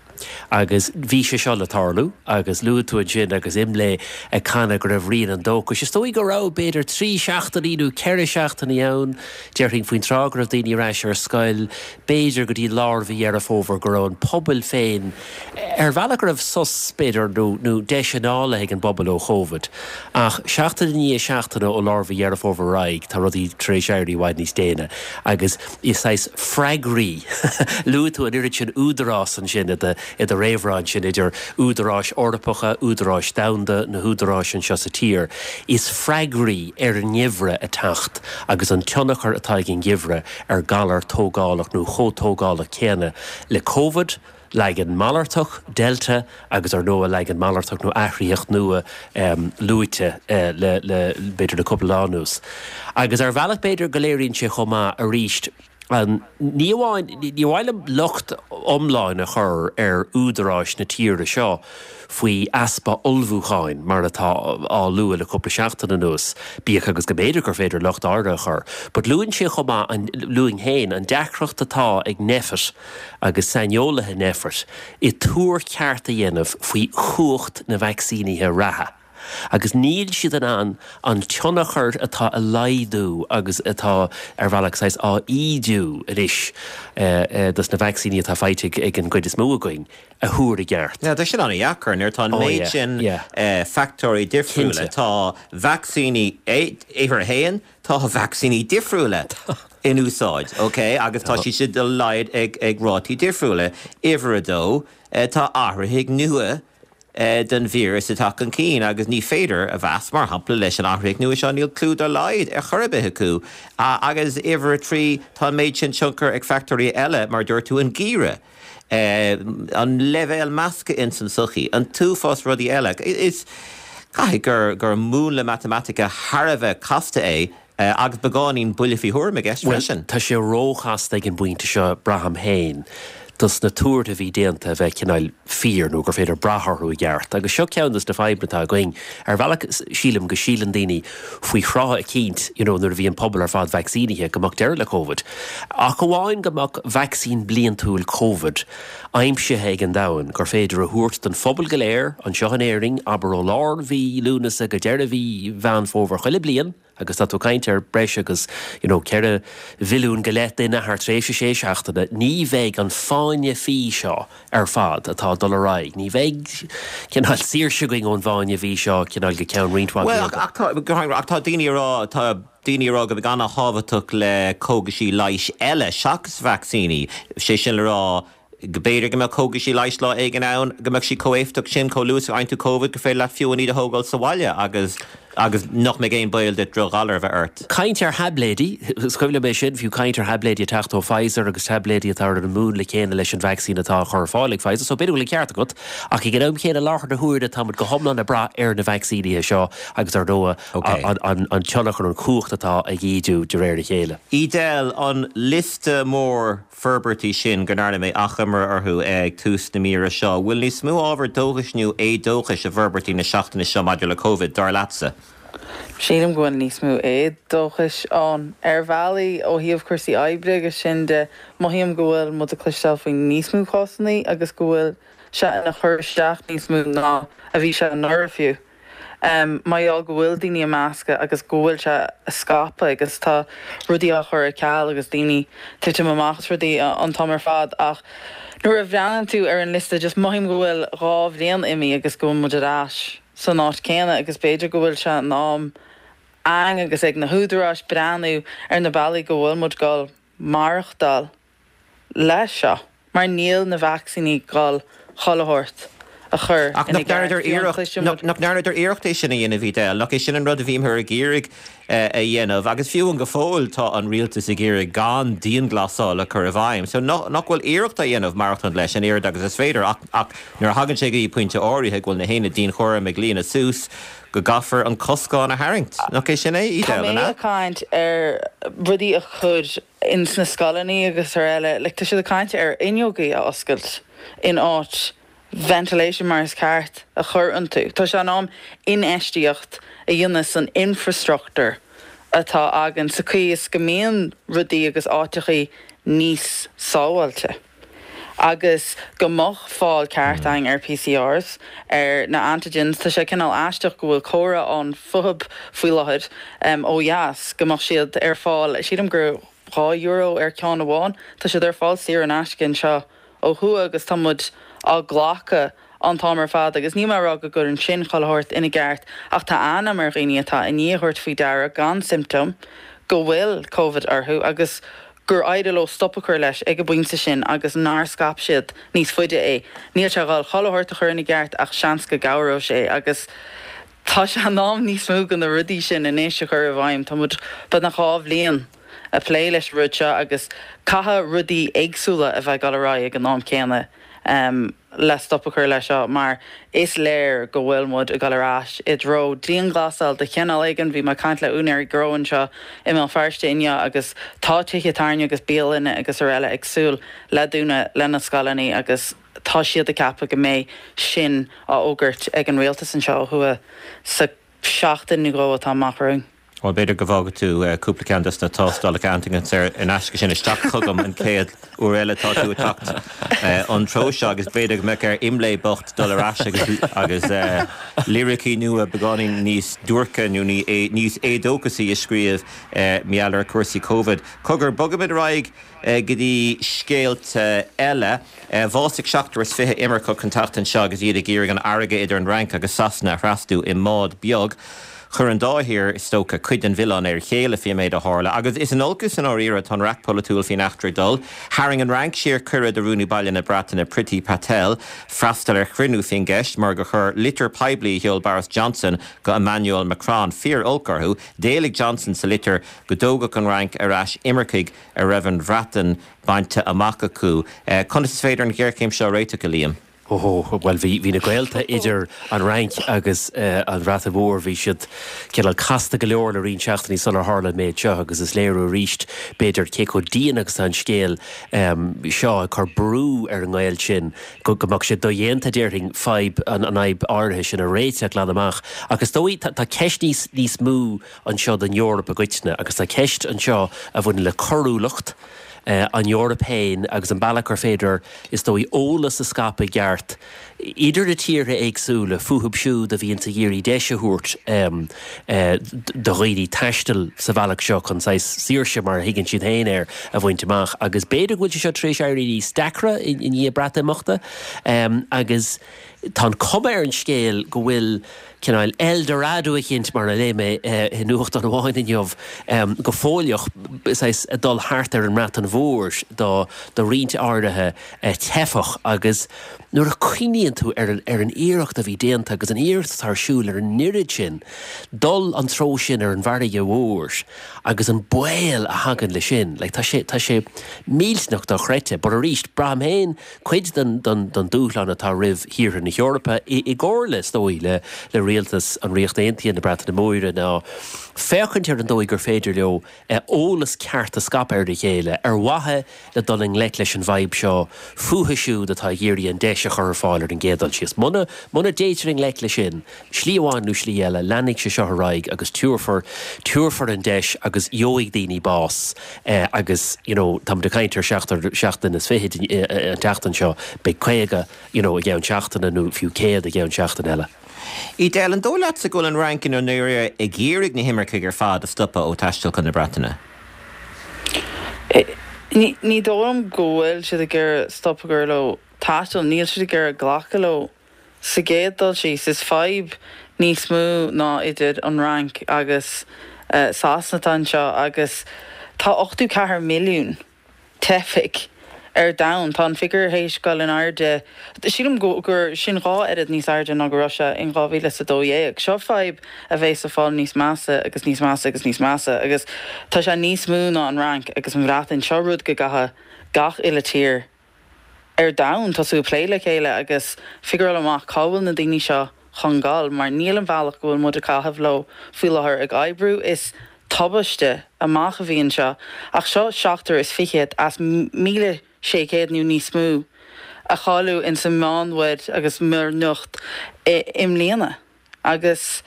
Agus bhí sé seo le tarlú agus luaigh tú ansin agus IMLÉ ag canadh go raibh rian an dóchais. Is dóigh go raibh b'fhéidir trí seachtainí nó ceithre seachtainí ann, déarfainn faoin tráth go raibh daoine ar ais ar scoil, b'fhéidir go dtí lár mhí Dheireadh Fómhair go raibh an pobal féin ar bhealach go raibh sos b'fhéidir nó nó deis anála ag an bpobal ó Covid. Ach seachtain i ndiaidh seachtaine ó lár mhí Dheireadh Fómhair ar aghaidh, tá rudaí tar éis éirí i bhfad níos déine. Agus is saghas freagraí luaigh tú an oiread sin údarás ansin i do i do réamhrá ansin idir údaráis Eorpacha, údaráis domhanda, na húdaráis anseo sa tír. Is freagraí ar an ngeimhreadh ag teacht agus an tionchar atá ag an ngeimhreadh ar galar tógálach nó chomh tógálach céanna le Covid, leagan malartach, Delta agus ar ndóigh leagan malartach nó athraitheach nua um, luaite uh, le, le b'fhéidir le cúpla lá anuas. Agus ar bhealach b'fhéidir go léiríonn sé chomh maith arís An, ní amháin, ní amháin liom locht iomlán a chur ar údaráis na tíre seo faoi easpa ullmhúcháin mar atá á lua le cúpla seachtain anuas, bíodh agus go mb'fhéidir gur féidir locht áirithe a chur. But luann sé chomh maith, an, luann féin, an deacracht atá ag Nphet agus saineolaithe Nphet i tuar ceart a dhéanamh faoi chumhacht na vacsaínithe reatha. Agus níl siad in ann an tionchar atá a laghdú agus atá ar bhealach saghas á ídiú anois dos na vacsaíní atá faighte ag an gcuid is mó againn a thuar i gceart. Yeah, tá sin an-dheacair nuair atá an méid sin factóirí difriúla. Tá vacsaíní uimhir a haon, tá vacsaíní difriúla in úsáid, ok, agus tá siad siad a laghad ag ag rátaí difriúla. Uimhir a dó, tá athraithigh nua den víreas ag teacht chun cinn agus ní féidir a mheas, mar shampla, leis an athraitheach nua seo, níl clue dá laghad ar chor ar bith acu. Agus uimhir a trí, tá an méid sin tionchar ag factóirí eile, mar a dúirt tú, an geimhreadh, an leibhéal measctha ins an tsochaí, an t-uafás rudaí eile. Is caithfidh gur gur múnla matamaitice thar a bheith casta é agus beagáinín buille faoi thuairim i gceist freisin. Bhuel, tá sé róchasta ag an bpointe seo, braithim féin. dos na tuartha a bhí déanta a bheith cineál fíor nó gur féidir brath orthu i gceart. Agus seo ceann dos na fadhbanna atá againn. Ar bhealach sílim go síleann daoine faoi thráth eicínt, you know, nuair a bhí an pobal ar fad vacsaínithe, go mbeadh deireadh le Covid. Ach amháin go mbeadh vacsaín bliantúil Covid aimsithe ag an domhan gur féidir a thabhairt don phobal go léir anseo in Éirinn, abair ó lár mhí Lúnasa go deireadh mhí Mheán Fómhair chuile bliain, agus tá tú ag caint ar breis agus you know ceithre mhilliún go leith duine thar tréimhse sé seachtaine, ní bheidh an fáinne fí seo ar fad atá ag dul ar aghaidh, ní bheidh cineál saoirse againn ón bhfáinne fí seo cineál go ceann roinnt mhaith Bhuel, ach, ach tá, ach tá daoine ag rá, tá daoine ag rá go mbeidh an-thábhachtach le cógaisí leighis eile seachas vacsaíní, sé sin le rá, go mb'fhéidir go mbeadh cógaisí leighis lá éigin ann, go mbeadh siad chomh éifeachtach sin, chomh luath is a fhaigheann tú Covid, gur féidir leat fiú amháin iad a thógáil sa bhaile agus agus nach mbeidh aon baol duit drochghalar a bheith ort. Caint ar thaibléidí, is cuimhin liom é sin, fiú caint ar thaibléidí ag teacht ó Pfizer agus taibléidí atá ar an múnla céanna leis an vacsaín atá á chur ar fáil ag Pfizer, so b'fhéidir go bhfuil an ceart agat, ach ag an am céanna i láthair na huaire táimid go hiomlán ag brath ar na vacsaínithe seo agus ar ndóigh an an tionchar, an chumhacht atá ag ídiú de réir a chéile. Edel, an liosta mór forbairtí sin go ndearna mé achoimre orthu ag tús na míre seo. Bhfuil níos mó ábhar dóchais nó éadóchais i bhforbairtí na seachtaine seo maidir le Covid, dar leatsa? Sílim go bhfuil níos mó éadóchais ann. Ar bhealaí, ó thaobh cúrsaí oibre agus sin de, mothaím go bhfuil muid ag cloisteáil faoi níos mó cásanna agus go bhfuil sé ina chur isteach níos mó ná a bhí sé anuraidh fiú. Mar gheall go bhfuil daoine ag meascadh agus go bhfuil sé ag scaipeadh agus tá rudaí á chur ar ceal agus daoine titim amach as rudaí an t-am ar fad ach nuair a bhreathnaíonn tú ar an liosta just mothaím go bhfuil dhá bhliain imithe agus go bhfuil muid ar ais san áit céanna agus b'fhéidir go bhfuil sé in am againn agus ag na húdaráis breathnú ar na bealaí go bhfuil muid ag dul maireachtáil leis seo mar níl na vacsaíní ag dul chuile shórt a chur Ach ina nach gceart. ndearnadar Fiú an iarracht, cloiseann nach muid. nach ndearnadar iarracht é sin a dhéanamh, Edel? Nach é sin an rud a bhíomar ag iarraidh a dhéanamh? Agus fiú amháin go fóill tá an rialtas ag iarraidh gan dianghlasáil a chur i bhfeidhm. So nach nach bhfuil iarracht á dhéanamh maireachtaint leis an oiread agus is féidir ach ach nuair a thagann sé go dtí pointe áirithe go bhfuil na haonaid dianchúraim ag líonadh suas, go gcaithfear an coscán a tharraingt. Nach é sin é, Tá Edel, mé an ea? ag caint ar rudaí a chur ins na scoileanna agus ar eile, like tá siad ag caint ar fhuinneogaí a oscailt in áit ventilation mar is ceart a chur iontu. Tá sé in am infheistíocht a dhéanamh san infrastructure atá againn sa chaoi is go mbíonn rudaí agus áiteachaí níos sábháilte. Agus go mbeadh fáil ceart againn ar PCRs, ar na antigens, tá sé cineál aisteach go bhfuil comhrá ann fúthu faoi láthair ó dheas, go mbeadh siad ar fáil, sílim gur dhá euro ar ceann amháin, tá siad ar fáil saor in aisce anseo ó thuaidh agus tá muid á glacadh an t-am ar fad agus níl mé ag rá go gcuireann sin chuile shórt ina gceart ach tá an-am ar dhaoine atá i ndiaidh a thabhairt faoi deara gan siomptóim go bhfuil Covid orthu agus gur éirigh leo stop a chur leis ag an bpointe sin agus nár scaip siad níos faide é. Níl sé ag dul chuile shórt a chur ina gceart ach seans go gcabhróidh sé agus tá sé in am níos mó de na rudaí sin anois a chur i bhfeidhm. Tá muid beagnach dhá bhliain ag plé leis an rud seo agus caithfidh rudaí éagsúla a bheith ag dul ar aghaidh ag an am céanna le stop a chur leis seo mar is léir go bhfuil muid ag dul ar ais i dtreo dianghlasáil de chineál éigin. Bhí mé ag caint le úinéirí gnó anseo i mBéal Feirste inniu agus tá tithe tábhairne agus bialanna agus araile ag súil le dúnadh lena scoileanna agus tá siad ag ceapadh go mbeidh sin á fhógairt ag an rialtas anseo ó thuaidh sa seachtain nó dhó atá amach romhainn. Bhuel, b'fhéidir go bhfágfaidh tú cúpla ceann des na tástálacha antaigin saor in aisce sin isteach chugam an chéad uair eile atá tú ag teacht an treo seo agus b'fhéidir go mbeadh ar Imlé bocht dul ar ais agus agus liricí nua beagáinín níos duairce nó níos éadóchasaí a scríobh mar gheall ar chúrsaí Covid. Cogar, bogfaimid ar aghaidh go dtí scéalta eile. Bhásaigh seachtar is fiche imirceach an tseachtain seo agus iad ag iarraidh an fharraige idir an Fhrainc agus Sasana a thrasnú i mbád beag. Chuir an dá thír, is dócha, cuid den mhilleán ar a chéile faoin méid a tharla agus is in olcas i ndáiríre atá an raic pholaitiúil faoin eachtra ag dul. Tharraing an Fhrainc siar cuireadh do Rúnaí Baile na Breataine Priti Patel freastal ar chruinniú faoin gceist mar gur chuir litir poiblí a sheol Boris Johnson go Emmanuel Macron fíor-olc orthu. D'éiligh Johnson sa litir go dtógfadh an Fhrainc ar ais imircigh a raibh an Bhreatain bainte amach acu. Conas is féidir an ghéarchéim seo a réiteach, a Liam? Ó, bhuel, bhí, bhí na gaolta idir an Fhrainc agus an Bhreatain Mhór, bhí siad cineál casta go leor le roinnt seachtainí sular tharla an méid seo agus is léiriú arís, b'fhéidir, cé chomh dian agus atá an scéal seo ag cur brú ar an ngaol sin go go mbeadh sé dodhéanta, déarfainn, fadhb, an fhadhb áirithe sin a réiteach glan amach. Ach is dóigh, tá, tá ceist níos, níos mó anseo don Eoraip i gcoitinne agus tá ceist anseo a bhaineann le coiriúlacht, an Eoraip féin agus an bealach gur féidir, is dóigh, eolas a scaipeadh i gceart idir na tíortha éagsúla fúthub siúd a bhíonns ag iarraidh deis a thabhairt do dhaoine taisteal sa bhealach seo chun saghas saoirse, mar a thuigeann siad féin air, a bhaint amach. Agus b'fhéidir go bhfuil sé seo tar éis éirí níos deacra i ndiaidh Breatimeachta agus tá an cuma ar an scéal go bhfuil cineál El Dorado eicínt, mar a léigh mé i nuachtán amháin inniu, go fóilleach, saghas ag dul thart ar an mBreatain Mhór do do roinnt áirithe teifeach agus nuair a chuimhníonn tú ar an ar an iarracht a bhí déanta agus an iarracht atá ar siúl ar an oiread sin dul an treo sin ar an bhfarraige mhór agus an baol a thagann le sin, like tá sé tá sé millteanach dochreidte. But arís, braithim féin cuid den den den dúshlán atá roimh thíortha na hEorpa, i gcomhairle, is dóigh, le le rialtas an Ríocht Aontaithe, na Breataine Móire, ná féachaint ar an dóigh gur féidir leo eolas ceart a scaipeadh ar a chéile ar mhaithe le dul i ngleic leis an bhfadhb seo fúthu siúd atá ag iarraidh an deis a chur ar fáil ar an gcéad dul síos. Muna muna dtéitear i ngleic leis sin, slí amháin nó slí eile, leanfaidh sé seo ar aghaidh agus tabharfar tabharfar an deis agus gheobhaidh daoine bás agus you know táimid ag caint ar seachtar seacht nduine is fiche an tseachtain seo, beidh caoga you know i gceann seachtaine nó fiú céad i gceann seachtain eile. Edel, an dóigh leatsa go bhfuil an Fhrainc i ndáiríre ag iarraidh na himircigh ar fad a stopadh ó taisteal chun na Breataine? Ní dóigh liom go bhfuil siad ag iarraidh stop a chur leo taisteal, níl siad ag iarraidh glacadh leo sa gcéad dul síos. Is fadhb níos mó ná idir an Fhrainc agus Sasana atá anseo agus tá ochtó ceathair milliún teifigh ar domhan. Tá an figiúr théis dul in airde, sílim gur sin dhá oiread níos airde ná go raibh sé in dhá mhíle is a dó dhéag. Seo fadhb a bheas ag fáil níos measa agus níos measa agus níos measa agus tá sé níos mó ná an Fhrainc agus an Bhreatain. Seo rud go gcaithfidh gach uile tír ar domhan tosú ag plé le chéile agus figuráil amach cá bhfuil na daoine seo chun dul mar níl an bhealach go bhfuil muid ag caitheamh leo faoi láthair ag oibriú. Is tubaiste amach a bhí anseo ach seo seachtar is fichead as míle sé chéad nó níos mó a cailleadh ins an Meánmhuir agus Muir Niocht i mbliana agus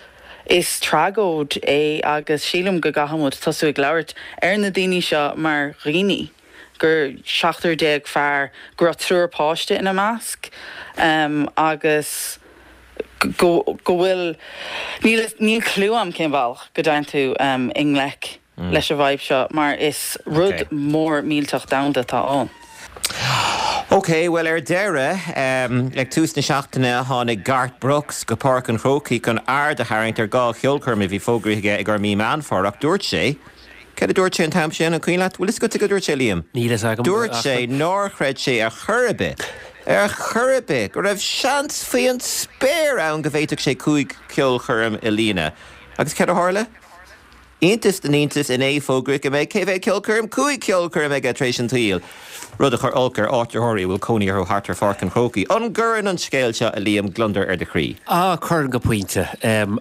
is tragóid é agus sílim go gcaithfidh muid tosú ag labhairt ar na daoine seo mar dhaoine, gur seachtar déag fear, go raibh triúr páiste ina measc agus go go bhfuil, níl níl clue a'm cén bealach go dtéann tú i ngleic leis an bhfadhb seo mar is rud mór millteach domhanda atá ann. Ok, bhuel ar deireadh, ag tús na seachtaine tháinig Garth Brooks go Páirc an Chrócaigh chun aird a tharraingt ar dhá cheolchoirm a bhí fógraithe aige i gcomhair mí Meán Fómhair ach dúirt sé, Céard a dúirt sé an t-am sin, an cuimhin leat? Bhfuil fhios agat cad a dúirt sé, Liam? Níl fhios agam. Dúirt sé nár chreid sé ar chor ar bith, ar chor ar bith, go raibh seans faoi an spéir ann go bhféadfadh sé cúig cheolchoirm a líonadh. Agus céard a tharla? Iontas na n-iontas, inné fógraíodh go mbeidh cé mhéad ceolchoirm? Cúig cheolchoirm aige tar éis an tsaoil! Rud a chuir olc ar áitritheoirí a bhfuil cónaí orthu thart ar Pháirc an Chrócaigh. An gcuireann an scéal seo, a Liam, gliondar ar do chroí? Ah, cuireann go pointe,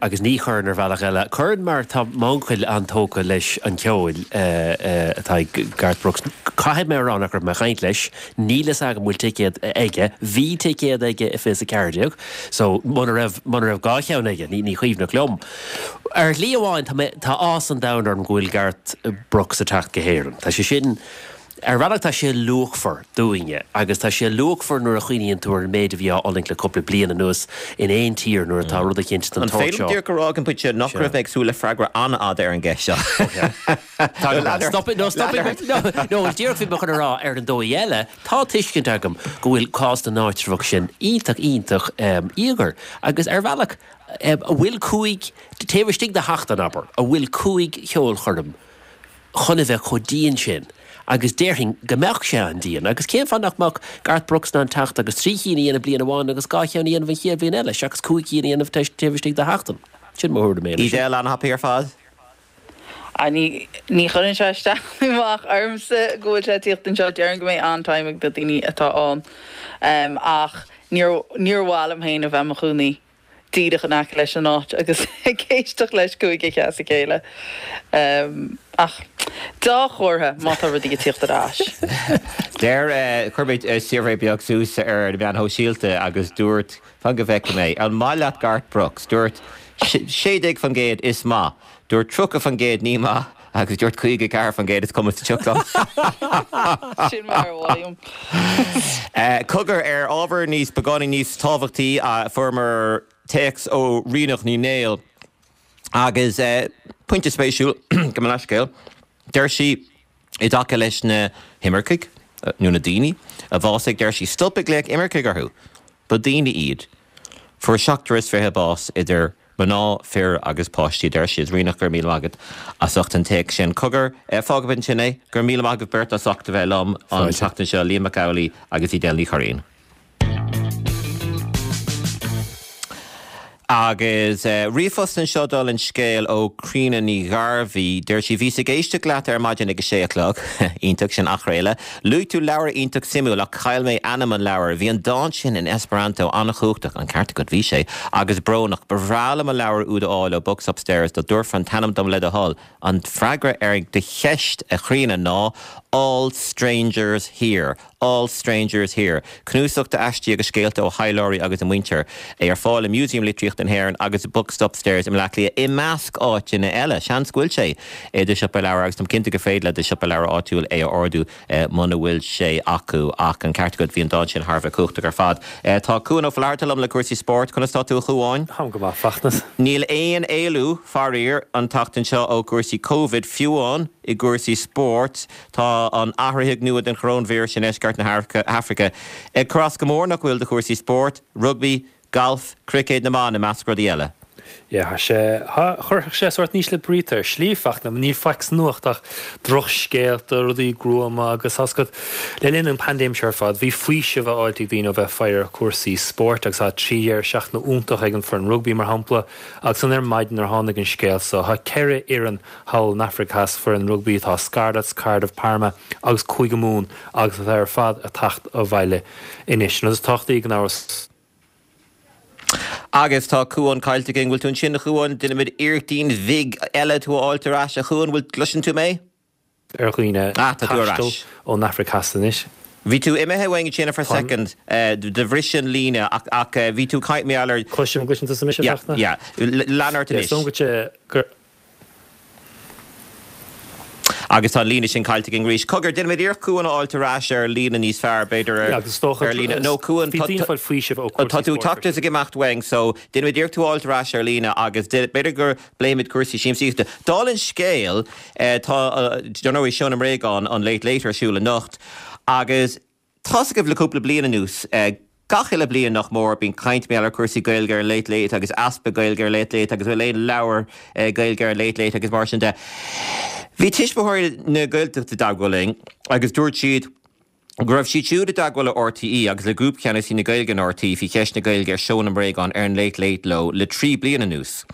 agus ní chuireann ar bhealach eile. Cuireann mar tá m'uncail an-tógtha leis an cheol atá ag Garth Brooks. Caithfidh mé a rá nach raibh mé ag caint leis, níl fhios agam an bhfuil ticéad aige. Bhí ticéad aige i fiche is a ceathair déag, so muna raibh, muna raibh dhá cheann aige, ní, ní cuimhneach liom. Ar shlí amháin, tá mé, tá áthas an domhain orm go bhfuil Garth Brooks ag teacht go hÉirinn. Tá sé sin, ar bhealach tá sé luachmhar dúinne agus tá sé luachmhar nuair a chuimhníonn tú ar an méid a bhí á fhulaingt le cúpla bliain anuas in aon tír nuair atá rud eicínt den An tsórt féidir seo. liom díreach a rá ag an bpointe nach Sea. raibh mé ag súil le freagra an-fhada ar an gceist seo. Tá go Lean maith. ort. Stop it, no, stop Lean it. ort. No, no, díreach bhí mé chun a rá ar an dóigh eile, tá tuiscint agam go bhfuil cás na n-áitreabhach sin iontach, iontach íogair agus ar bhealach, an bhfuil cúig, taobh istigh de sheachtain, abair, an bhfuil cúig cheolchoirm chun a bheith chomh dian sin agus déarfainn go mbeadh sé an-dian agus cén fáth nach mbeadh Garth Brooks in ann teacht agus trí chinn a dhéanamh bliain amháin agus dhá cheann a dhéanamh an chéad bhliain eile seachas cúig cinn a dhéanamh taobh istigh de sheachtain? Sin mo thuairim féin air sin. Edel, an-thapaidh ar fad. Ah, ní, ní chuireann sé isteach nó amach ormsa go bhfuil sé ag tíocht anseo. Déarfainn go mbeidh an-time ag na daoine atá ann. Ach níor, níor mhaith liom féin a bheith i mo chónaí díreach in aice leis an áit agus ag éisteacht leis cúig oíche as a chéile. Ach dea-chomhartha má tá rudaí ag tíocht ar ais. Deir, chuir mé suirbhé beag suas ar na meáin shóisialta agus dúirt, fan go bhfeicfidh mé, an maith leat Garth Brooks? Dúirt sé déag faoin gcéad is maith, dúirt tríocha faoin gcéad ní maith agus dúirt caoga ceathair faoin gcéad is cuma sa tsioc liom. Sin mar a mhothaím. Cogar, ar ábhar níos beagáinín níos tábhachtaí, fuaireamar téacs ó Ríonach Ní Néill agus pointe spéisiúil, gabh mo leithscéal, deir sí i dtaca leis na himircigh, nó na daoine, a bhásaigh, deir sí, stop ag glaoch imircigh orthu, ba daoine iad. Fuair seachtar is fiche bás idir mná, fir agus páistí, a deir sí. Ríonach, go raibh míle maith agat as ucht an téacs sin. Cogar, fágfaimid ansin é. Go raibh míle maith agaibh beirt as ucht a bheith liom an Fáilte. tseachtain seo, Liam Mac Amhlaigh agus Edel Ní Churraoin. Agus ríomhphost anseo dála an scéil ó Críona Ní Ghairbhí. Deir sí, Bhíos ag éisteacht leat ar maidin ag a sé a chlog. Iontach, sin athchraoladh. Luaigh tú leabhar iontach suimiúil ach chaill mé ainm an leabhair. Bhí an dán sin in Esperanto an-chumhachtach, an ceart agat, bhí sé, agus brónach. Ba bhreá liom an leabhar úd a fháil ó Books Upstairs dá dtabharfá an t-ainm dom le do thoil. An freagra ar do cheist, a Chríona, ná All Strangers Here. All Strangers Here, cnuasach d'aistí agus scéalta ó thaidhleoirí agus a muintir, é ar fáil i Músaem Litríochta na hÉireann agus Books Upstairs i mBleá Cliath, i measc áiteanna eile. Seans go bhfuil sé i do shiopa leabhar agus táim cinnte gur féidir le do shiopa leabhar áitiúil é a ordú muna bhfuil sé acu. Ach an ceart agat, bhí an dán sin thar a bheith cumhachtach ar fad. Tá Cuan Ó Flatharta liom le cúrsaí spóirt. Conas tá tú, a Chuáin? Táim go maith, Fachtna. Níl aon éalú, faraor, an tseachtain seo ó chúrsaí Covid, fiú amháin i gcúrsaí spóirt. Tá an athraithigh nua den choróinvíreas i ndeisceart na hAfraice ag cur as go mór, nach bhfuil, do chúrsaí spóirt, rugbaí, galf, cruicéad na mban, i measc rudaí eile. Yeah, tá sé, chuirfeadh sé sórt an ísle brí ar shlí, Fachtna, níl faic sa nuacht ach drochscéalta, rudaí gruama agus tá a fhios agat, le linn an paindéim seo ar fad, bhí faoiseamh á fháilt ag daoine ó bheith ag faire ar chúrsaí spóirt agus tá trí dheireadh seachtaine iontach ag an foireann rugbaí mar shampla agus ansan ar maidin nuair a tháinig an scéal so, tá ceithre fhoireann thall in Afraic Theas, foireann rugbaí atá Scarlets, Cardiff, Parma agus Cúige Mumhan agus atá ar fad ag teacht abhaile anois. An rud is tábhachtaí gan amhras. Agus tá Cuán caillte againn. Bhfuil tú ansin, a Chuáin? Déanfaimid iarrachtín bhig eile tú a fháilt ar ais. A Chuáin, bhfuil, gcloiseann tú mé? ar dhaoine Ah, tá tú ar taisteal ais. ón Afraic Theas anois. Bhí tú imithe uainn ansin for a second, do bhris an líne ach ach bhí tú caint mé ar. Cloisim, gcloiseann tusa mise, Yeah, Fachtna? yeah. Lean ort Yeah, anois. is dóigh go gur. Agus tá an líne sin caillte againn arís. Cogar, déanfaimid iarracht Cuan a fháilt ar ais ar líne níos fearr, b'fhéidir ar Yeah, agus is dócha ar líne. No, Cuan, bhí tá daoine ag fáil faoiseamh ó tá cúrsaí tú spóirt ag teacht is ag imeacht uainn, so déanfaimid iarracht tú a fháilt ar ais ar líne agus b'fhéidir go bpléimid cúrsaí siamsaíochta. Dála an scéil, tá, dar ndóigh, Seó na mBréagán, an Late Late ar siúl anocht agus tá's agaibh le cúpla bliain anuas, gach uile bliain nach mór, bíonn caint mar gheall ar chúrsaí Gaeilge ar an Late Late agus easpa Gaeilge ar Late Late agus bhfuil aon leabhar Gaeilge ar an Late Late agus mar sin de. Bhí Tuismitheoirí na Gaeltachta i dteagmháil linn agus dúirt siad go raibh siad siúd i dteagmháil le RTÉ agus le Grúpcheannasaí na Gaeilge in RTÉ faoi cheist na Gaeilge ar Seó na mBréagán ar an Late Late leo le trí bliana anuas.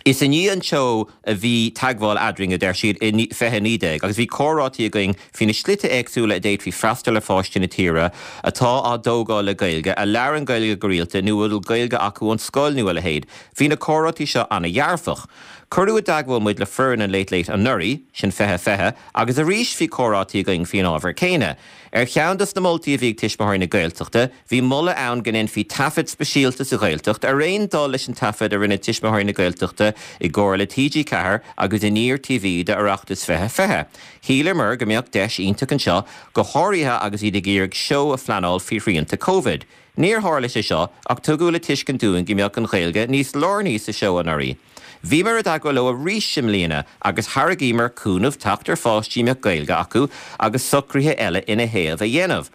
Is i ndiaidh an tseó a bhí teagmháil eadrainn, a deir siad, i fiche naoi déag, agus bhí comhráití againn faoi na slite éagsúla a d'fhéadfaí freastal ar pháistí na tíre atá á dtógáil le Gaeilge, a labhrann Gaeilge go rialta nó a bhfuil Gaeilge acu ón scoil nó a leithéid. Bhí na comhráití seo ana-dhearfach. Cuireadh i dteagmháil muid le foireann an Late Late anuraidh, sin fiche fiche, agus arís bhí comhráití againn faoin ábhar céanna. Ar cheann dos na moltaí a bhí ag Tuismitheoirí na Gaeltachta, bhí moladh ann go ndéanfaí taifead speisialta sa Ghaeltacht, ar aon dul leis an taifead a rinne Tuismitheoirí na Gaeltachta i gcomhar le T G ceathair agus Aniar T V d'Oireachtas fiche fiche. Shíleamar go mbeadh deis iontach anseo, go háirithe agus iad ag iarraidh seó a phleanáil faoi shrianta Covid. Níor tharla sé seo ach tugadh le tuiscint dúinn go mbeadh an Ghaeilge níos lárnaí sa seó anuraidh. Bhíomar i dteagmháil leo arís i mbliana agus thairgíomar cúnamh teacht ar pháistí a mbeadh Gaeilge acu agus socruithe eile ina thaobh a dhéanamh.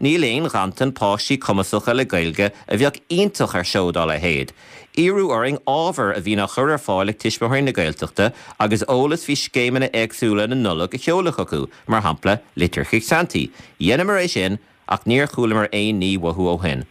Níl aon ghanntan páistí cumasacha le Gaeilge a bheadh iontach ar seó dá leithéid. Iarradh orainn ábhar a bhíonn á chur ar fáil ag Tuismitheoirí na Gaeltachta agus eolas faoi scéimeanna éagsúla na Nollag a sheoladh chucu, mar shampla litir chuig Santaí. Dheineamar é sin ach níor chualamar aon ní uathu ó shin.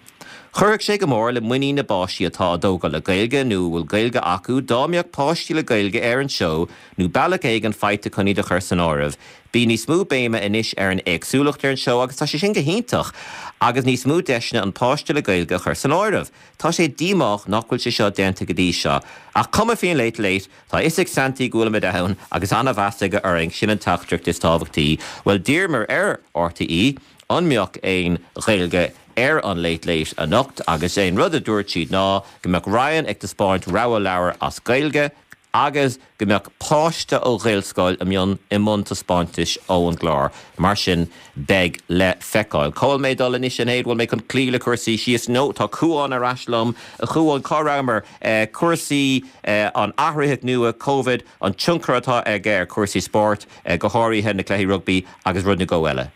Chuirfeadh sé go mór le muinín na bpáistí atá á dtógáil le Gaeilge nó a bhfuil Gaeilge acu dá mbeadh páistí le Gaeilge ar an seó nó bealach éigin faighte chun iad a chur san áireamh. Bíonn níos mó béime anois ar an éagsúlacht ar an seó agus tá sé sin go hiontach agus níos mó deiseanna an páiste le Gaeilge a chur san áireamh. Tá sé díomách nach bhfuil sé seo déanta go dtí seo. Ach cuma faoin Late Late, tá a fhios ag Santaí go bhfuilimid ann agus an-mheas aige orainn, sin an teachtaireacht is tábhachtaí. Bhuel, d'iarramar ar R T E an mbeadh aon Ghaeilge ar an Late Late anocht agus é an rud a dúirt siad ná go mbeadh Ryan ag taispeáint rogha leabhar as Gaeilge agus go mbeadh páiste ó Ghaelscoil i mbun i mbun taispeántais ón gclár. Mar sin beidh le feiceáil. Cá bhfuil mé ag dul anois a Sinéad, bhfuil mé chun cloí le cúrsaí síos nó tá Cuán ar ais liom. A Chuáin, cá rabhamar? Cúrsaí an athraitheach nua Covid, an tionchar atá aige ar chúrsaí spóirt, go háirithe na cluichí rugbaí agus rud nó dhó eile.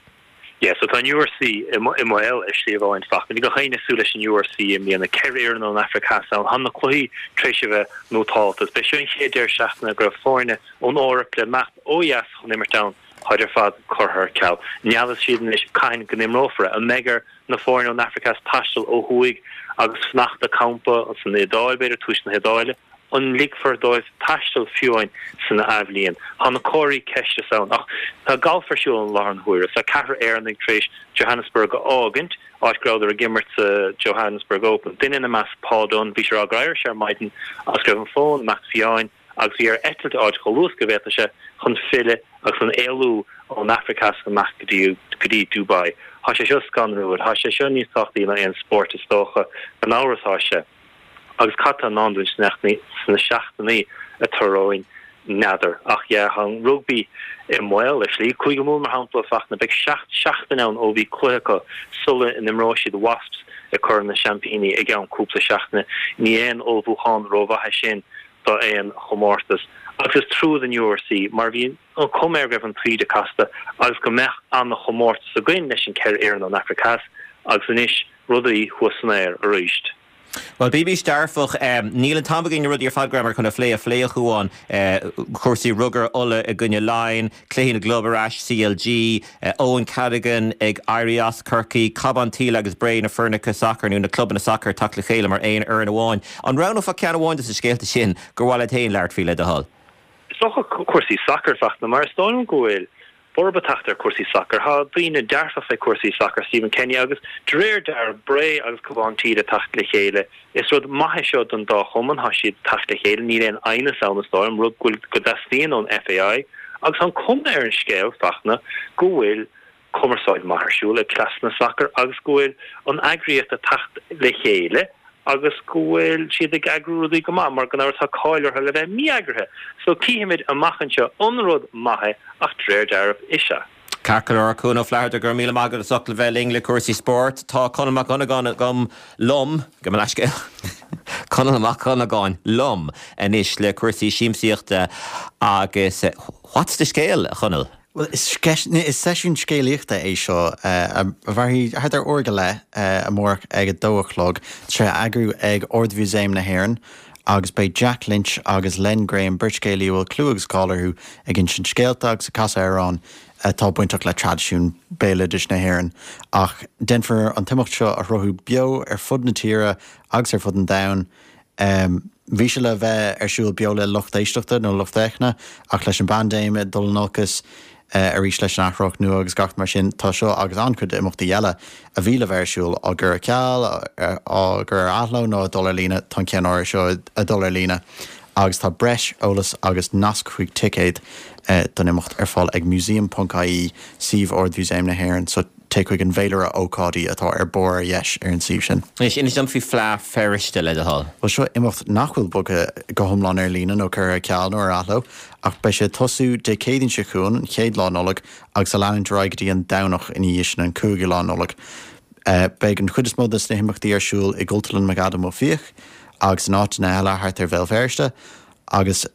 Yeah, so tá an U R C i mbaol ar shlí amháin Fachtna. Bhí gach éinne ag súil leis an U R C i mbliana, ceithre fhoireann ón Afraic Theas ann. Tá na cluichí tar éis a bheith nótálta. Is b'é seo an chéad deireadh seachtaine go raibh foirne ón Eoraip le imeacht ó dheas chun imirt ann. Táid ar fad curtha ar ceal. N'fheadar siad anois cathain go n-imreofar é. An mbeidh ar na foirne ón Afraic Theas taisteal ó thuaidh agus fanacht ag campa san Iodáil, b'fhéidir, tuaisceart na hIodáile? An ligfear dóibh taisteal fiú amháin san athbhliain? Tá na comharthaí ceiste ann. Ach tá galf ar siúl i láthair na huaire. Tá ceathrar Éireannaigh tar éis Johannesburg a fhágaint, áit go rabhadar ag imirt sa Johannesburg Open. Duine ina measc, Paul Dunne, bhí sé ag rá gur éirigh sé ar maidin agus go raibh an fón ag imeacht fiáin agus bhí air eitilt a fháilt chomh luath is go bhféadfadh sé chun filleadh agus chun éalú ón Afraic Theas amach go dtí go dtí Dubai. Tá sé seo scanrúil. Tá sé seo níos tábhachtaí ná aon spórt is dócha. Gan amhras tá sé. Agus cad tá i ndán dúinn sna seachtainí atá romhainn, n'fheadar. Ach yeah, tá an rugbaí i mbaol ar shlí. Cúige Mumhan, mar shampla, Fachtna, beidh seacht seachtain ann ó bhí cluiche acu sula n-imreoidh siad Wasps i gCorn na Seaimpíní i gceann cúpla seachtaine. Ní aon ullmhúchán rómhaith é sin do aon chomórtas. Agus is trua don U R C mar bhí an chuma air go raibh an taoide casta agus go mbeadh an-chomórtas againn leis an ceithre fhoireann ón Afraic Theas agus anois rudaí thuas san aer arís. Bhuel, bímís dearfach. Níl an t-am againn na rudaí ar fad go rabhamar chun a phlé a phlé, a Chuáin. Cúrsaí rugair, Ulaidh i gcoinne Laighean, cluichí na gclub ar ais, C L G, Eoin Cadogan ag éirí as Corcaigh, Cabhán Tíle agus Bré, na foirneacha sacair nó na clubanna sacair ag teacht le chéile mar aon fhoireann amháin. An roghnófá ceann amháin de na scéalta sin gur mhaith leat féin labhairt faoi, le do thoil? Is dócha cúrsaí sacair, Fachtna, mar is dóigh liom go bhfuil borradh ag teacht ar cúrsaí sacair. Tá daoine dearfach fé cúrsaí sacair, Stephen Kenny, agus de réir dealraimh, Bré agus Cabhán Tíle ag teacht le chéile. Is rud maith é seo don dá chumann, tá siad ag teacht le chéile, níl aon aighneas ann is dóigh liom, rud go bhfuil, go dteastaíonn ón F A I. Agus tá an cuma ar an scéal, Fachtna, go bhfuil cumarsáid maith ar siúl ag cleasanna sacair agus go bhfuil an eagraíocht ag teacht le chéile agus go bhfuil siad ag eagrú rudaí go maith, mar gan amhras tá cáil orthu le bheith mí-eagraithe. So cífimid amach anseo an rud maith é, ach de réir dealraimh is ea. Ceart go leor, Cuan Ó Flatharta, go raibh míle maith agat as ucht a bheith linn le cúrsaí spóirt. Tá Conall Mac Dhonnagáin agam liom, gabh mo leithscéal, Conall Mac Dhonnagáin liom anois le cúrsaí siamsaíochta agus what's the scéal, a Chonaill? Bhuel, is is seisiún scéalaíochta é seo a mhairfidh thart ar uair go leith amárach ag a dó a chlog. Tá sé á eagrú ag Ard-Mhúsaem na hÉireann agus beidh Jack Lynch agus Len Graham, beirt scéalaí a bhfuil clú agus cáil orthu, ag insint scéalta agus ag casadh amhrán atá bainteach le traidisiún béaloidis na hÉireann. Ach déanfar an t-imeacht seo a shruthú beo ar fud na tíre agus ar fud an domhain. Bhí sé le bheith ar siúl beo le lucht éisteachta nó lucht féachana ach leis an bpaindéim ag dul in olcas arís leis an athrach nua agus gach mar sin, tá seo agus an-chuid imeachtaí eile a bhí le bheith ar siúl á gcur ar ceal, á gcur ar athló nó ag dul ar líne, tá an ceann áirithe seo ag dul ar líne agus tá breis eolais agus nasc chuig ticéid don imeacht ar fáil ag museum ponc ie, suíomh Ard-Mhúsaem na hÉireann. So téigh chuig an bhféilire ócáidí atá ar barr ar dheis ar an suíomh sin. Anois, inis dom faoi Fleadh Feirste, le do thoil. Bhuel, seo imeacht nach bhfuil bogtha go hiomlán ar líne nó curtha ar ceal nó ar athló, ach beidh sé ag tosú Dé Céadaoin seo chugainn, an chéad lá Nollag, agus ag leanúint ar aghaidh go dtí an Domhnach ina dhiaidh sin, an cúigiú lá Nollag. Beidh an chuid is mó de na himeachtaí ar siúl i gCultúrlann McAdam Ó Fiaich agus in áiteanna eile thart ar Bhéal Feirste agus.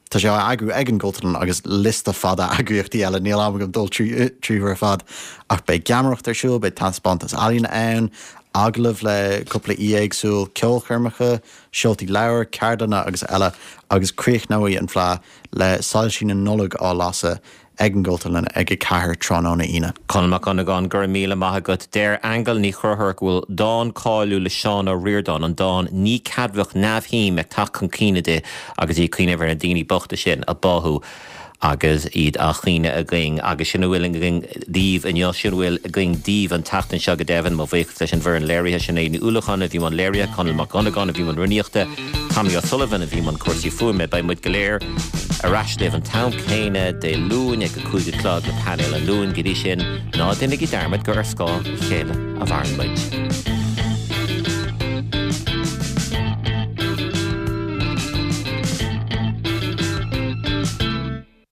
Tá sé á eagrú ag an gCultúrlann agus liosta fada eagraíochtaí eile, níl am agam dul tríothu ar fad, ach beidh geamaireacht ar siúl, beidh taispeántas ealaíne ann, agallaimh le cúpla aoi éagsúil, ceolchoirmeacha, seoltaí leabhar, ceardlanna agus eile, agus críochnóidh an Fleadh le soilsí na Nollag á lasadh ag an gCultúrlann ag a ceathair tráthnóna Aoine. Conall Mac Dhonnagáin, go raibh míle maith agat. Deir Aingeal Ní Chonchúir go bhfuil dán cáiliúil le Seán Ó Ríordáin, an dán 'Ní Ceadmhach Neamhshuim' ag teacht chun cuimhne di agus í ag cuimhneamh ar na daoine bochta sin a báthadh agus iad á chaoineadh againn. Agus sin a bhfuil againn daoibh inniu, sin a bhfuil againn daoibh an tseachtain seo go deimhin. Mo bhuíochas leis an bhfoireann léirithe, Sinéad Ní Uallacháin a bhí i mbun léirithe, Conall Mac Dhonnagáin a bhí i mbun rúnaíochta, Tommy O'Sullivan a bhí i mbun cúrsaí fuaime. Beidh muid go léir ar ais libh an t-am céanna Dé Luain ag a cúig a chlog le Painéal an Luain. Go dtí sin, ná déanaigí dearmad gur ar scáth a chéile a mhaireann muid.